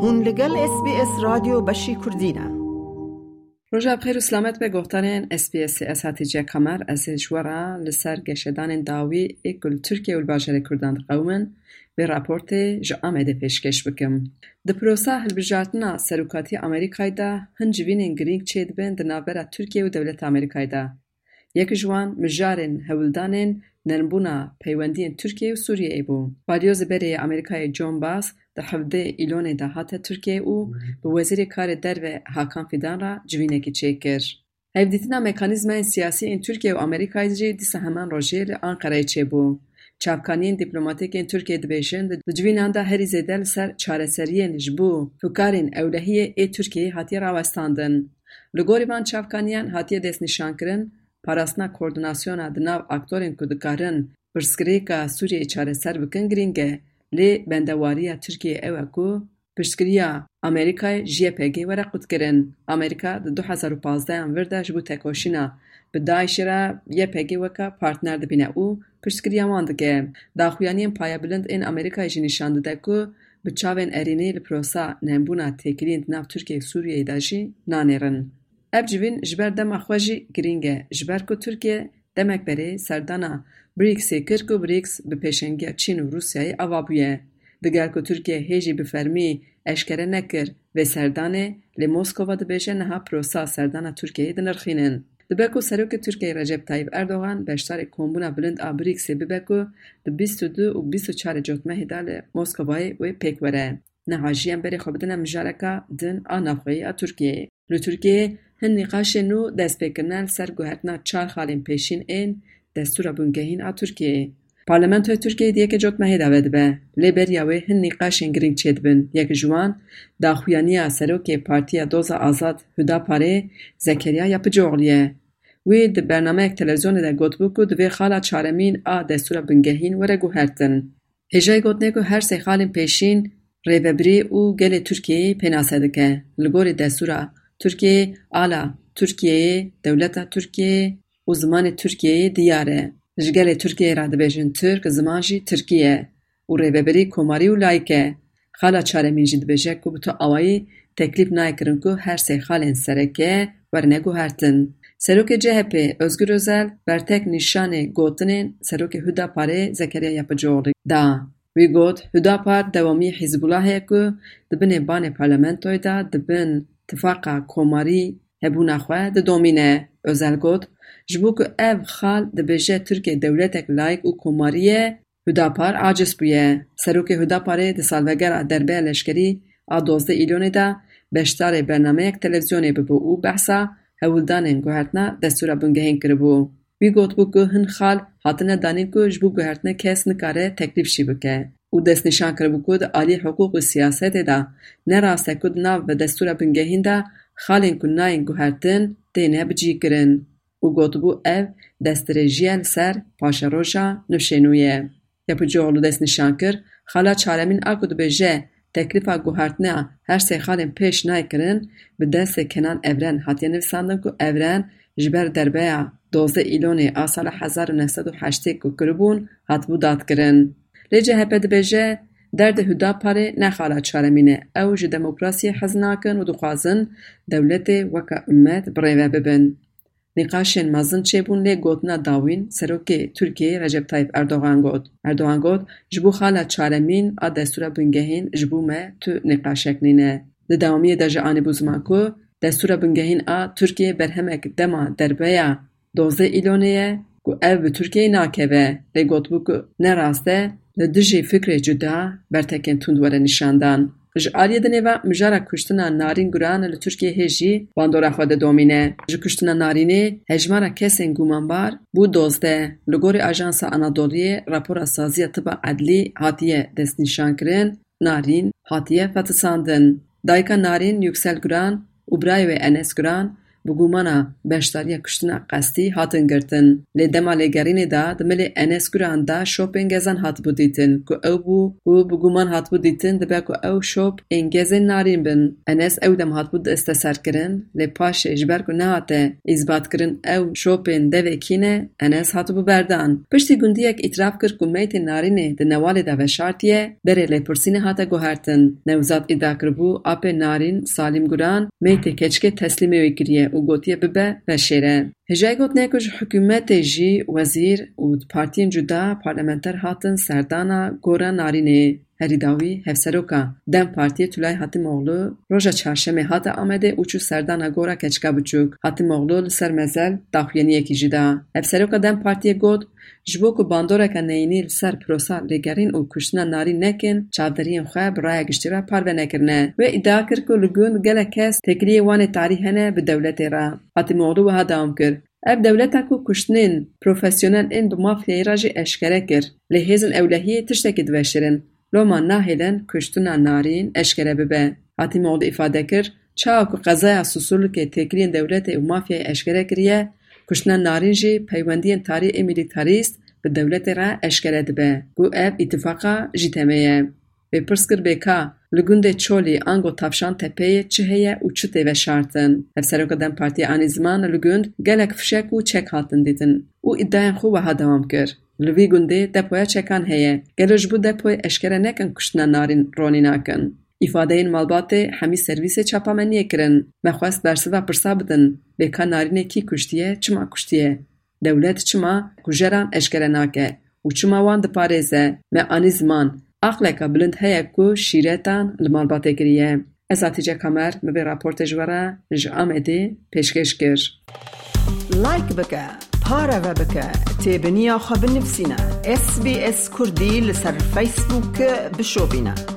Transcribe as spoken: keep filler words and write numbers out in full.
Hûn li gel S B S Radyo Beşî Kurdî ne. Roja bi xêr û selamet be, gohdarên S B S. Ez Hatice Kamer, ez ê ji we re li ser geşedanên dawî ê ku li Tirkiye û li bajarê Kurdan diqewimin, vê raportê ji Amedê pêşkêş bikim. Di prosa hilbijartina serokatiya Amerîkayê de hin civînên girîng çêdibin di navbera Tirkiye û dewleta Amerîkayê de. Yek ji wan mijarên hewldanên nermbûna peywendiyên Tirkiye û Sûriyeyê bû. Balyozê berê yê Amerîkayê John Bass di hevdeh Îlonê de hate Tirkiye û bi Wezîrê Karê Derve Hakan Fidan re civînekî çêkir. Hevdîtina mekanîzmayên siyasî ên Tirkiye û Amerîkayê jî dîsa heman rojê li Anqereyê çêbû. Çavkaniyên dîplomatîk ên Tirkiye dibêjin, di civînan de herî zêde li ser çareseriyên ji bo fikarên ewlehiyê ê Tirkiyeyê hatiye rawestandin. Li gorî van çavkaniyan hatiye destnîşankirin, parastina koordinasyona di nav aktorên ku dikarin pirsgirêka Sûriyeyê çareser bikin girîng e, lê bendewariya Tirkiyeyê ew e ku piştgiriya Amerîkayê ji Y P G were qutkirin. Amerîka di du hezar û pazdeh an vir de ji bo tekoşîna bi DAIŞê re Y P G weke partner dibîne û piştgiriya wan dike. Daxuyaniyên payebilind ên Amerîkayê jî nîşan dide ku bi çavên erênî li prosa nebûna têkiliyên di nav Tirkiye û Sûriyeyê de jî nanêrin. Ev civîn ji ber dema xwe jî girîng e, ji ber ku Tirkiye demek berê serdana briksê kir ku briks bi pêşengiya Çîn û Rûsyayê ava bûye. Digel ku Tirkiye hê jî bi fermî eşkere nekir vê serdanê, lê Moskova dibêje niha prosa serdana Tirkiyeyê dinirxînin. Dibe ku Serokê Tirkiyeyê Recep Tayyip Erdogan beşdarê kombûna bilind a briksê bibe ku di bîst û du û bîst û çarê Cotmehê de li Moskovayê wê pêk were. Niha jî em berê xwe bidine mijareka din a navxweyî a Tirkiyeyê. Li Tirkiyeyê hin nîqaşên nû destpêkirine li ser guhertina çar xalên pêşîn ên Destûra Bingehîn a Tirkiyeyê. Parlamentoya Tirkiyeyê di yekê Cotmehê de vedibe, lê beriya wê hin nîqaşên girîng çêdibin. Yek ji wan daxuyaniya serokê Partiya Doza Azad Hudaparê Zekeriya Yapıcıoğlu ye. Wî di bernameyek televîzyonê de gotibû ku divê xala çaremîn a Destûra Bingehîn were guhertin. Hêjayî gotinê ku her sê xalên pêşîn rêvebirî û gelê Tirkiyeyê pênase dike. Li gorî destûra Tirkiyeyê, ala Tirkiyeyê, dewleta Tirkiyeyê û zimanê Tirkiyeyê diyar e. Ji gelê Tirkiyeyê re dibêjin Tirk, ziman jî Tirkî ye û rêvebirî komarî û layik e. Xala çaremîn jî dibêje ku bi tu awayî teklîf nayê kirin ku her sê xalên sereke werine guhertin. Serokê C H P Özgür Özel bertek nîşanê gotinên Serokê Hudaparê Zekeriya Yapıcıoğlu da. Wî got, Hudapar dewamî Hizbulahê ye ku di binê banê parlamentoyê de di bin tifaqa komarî hebûna xwe didomîne. Özel got, ji bo ku ev xal dibêje Tirkiye dewletek layik û komarî ye, Hudapar aciz bûye. Serokê Hudaparê di salvegera derbeya leşkerî a dozdeh Îlonê de beşdarê bernameyek televîzyonê bibû û behsa hewldanên guhertina Destûra Bingehîn kiribû. Wî gotibû ku hin xal hatine danîn ku ji bo guhertinê kes nikare teklîf jî bike û destnîşan kiribû ku di alî hiqûq û siyasetê de ne rast e ku di nav bi Destûra Bingehîn de xalên ku nayên guhertin têne bicihkirin. Û gotibû ev destdirêjiye li ser paşeroja nifşê nû ye. Yapıcıoğlu destnîşan kir, xala çaremîn a ku dibêje teklîfa guhertina her sê xalên pêş nayê kirin, bi destê Kenan Evren hatiye nivîsandin ku Evren ji ber derbeya dozdeh Îlonê a sala hezar û neh sed û heştê ku kiribûn, hatibû dadkirin. Lê C H P dibêje, derdê Hudaparê ne xala çaremîn e. Ew ji demokrasiyê hez nakin û dixwazin dewletê weke ummet birêve bibin. Nîqaşên mezin çêbûn, lê gotina dawîn serokê Tirkiyeyê Recep Tayyip Erdogan got. Erdogan got, Ji bo xala çaremîn a destûra bingehîn ji bo me tu nîqaşek nîne. Di dewamiyê de jî anîbû ziman ku destûra bingehîn a Tirkiyeyê berhemek dema derbeya dozdeh Îlonê ye ku ev bi Tirkiyeyê nakeve, lê gotibû ku ne rast e li dijî fikrê cuda bertekên tund were nîşandan. Ji aliyê dinê ve mijara kuştina Narîn Guran li Tirkiyê hê jî bandora xwe didomîne. Ji kuştina Narînê hejmara kesên gumanbar bû dozdeh. Li gorî Ajansa Anadoliyê rapora Saziya Tiba Edlî hatiye destnîşankirin, Narîn hatiye fetisandin. Dayika Narîn Yüksel Guran û birayê wê Enes Guran bi gumana beşdariya kuştina qestî hatin girtin. Lê dema lêgerînê de di milê Enes Guran de şopên gezan hatibû dîtin ku ew bû ku bi guman hatibû dîtin dibe ku ew şop ên gezên narîn bin. Enes ew dem hatibû disteserkirin, lê paşê ji ber ku nehate îsbatkirin ew şopên devê kî ne, Enes hatibû berdan. Piştî gundiyek îtiraf kir ku meytê narînê di newalê de veşartiye, berê lêpirsînê hate guhertin. Newzad îdia kiribû apê narîn Salîm Guran meytê keçikê teslîmê wê kiriye û gotiye bibe veşêre. Hêjayî gotinê ku ji hikûmetê jî wezîr û partiyên cuda parlamenter hatin serdana gora narînê. Herî dawî hevseroka DEM Partiyê Tulay Hatîmoğlu roja çarşemê hate Amedê û çû serdana gora keçika biçûk. Hatîmoğlu li ser mezel daxuyaniyekî jî da. Hevseroka DEM Partiyê got, ji bo ku bandoreke neyînî li ser prosa lêgerîn û kuştina narîn nekin, çavderiyên xwe bi raya giştî re parve nekirine. Wê îdia kir ku li gund gelek kes têkiliyê wanê tarî hene bi dewletê re. Hatîmoğlu wiha dewam kir, Ev dewleta ku kuştinên profesyonel ên bi mafyayê re jî eşkere kir, lê hêzên ewlehiyê tiştekî diveşêrin. Loma nahêlin kuştina narîn eşkere bibe. Hatîmoğlu îfade kir, çawa ku qezaya Susurlukê têkiliyên dewletê û mafyayê eşkere kiriye, kuştina narîn jî peywendiyên tarî ê milîtarîst bi dewletê re eşkere dibe, ku ev îtifaqa jî temê ye. Wê pirs kir bê ka li gundê Çolî ango Tavşan Tepeyê çi heye û çi tê veşartin. Hevseroka DEM Partiyê anî ziman li gund gelek fişek û çek hatin dîtin û îdiayên xwe wiha dewam kir, Li vî gundê depoya çekan heye. Gelo ji bo depoyê eşkere nekin kuştina narîn ronî nakin? Îfadeyên malbatê hemî servîsê çapameniyê kirin. Me xwest bersiva pirsa bidin, bê ka narînê kî kuştiye, çima kuştiye? Dewlet çima kujeran eşkere nake û çima wan diparêze? Me anî ziman, aqleke bilind heye ku şîretan li malbatê kiriye. Ez Hatice Kamer, min vê raportê ji we re ji Amedê pêşkêş kir. Like bike, pareve bike, têbiniya xwe binivîsîne. S B S Kurdî li ser Facebook bişopîne.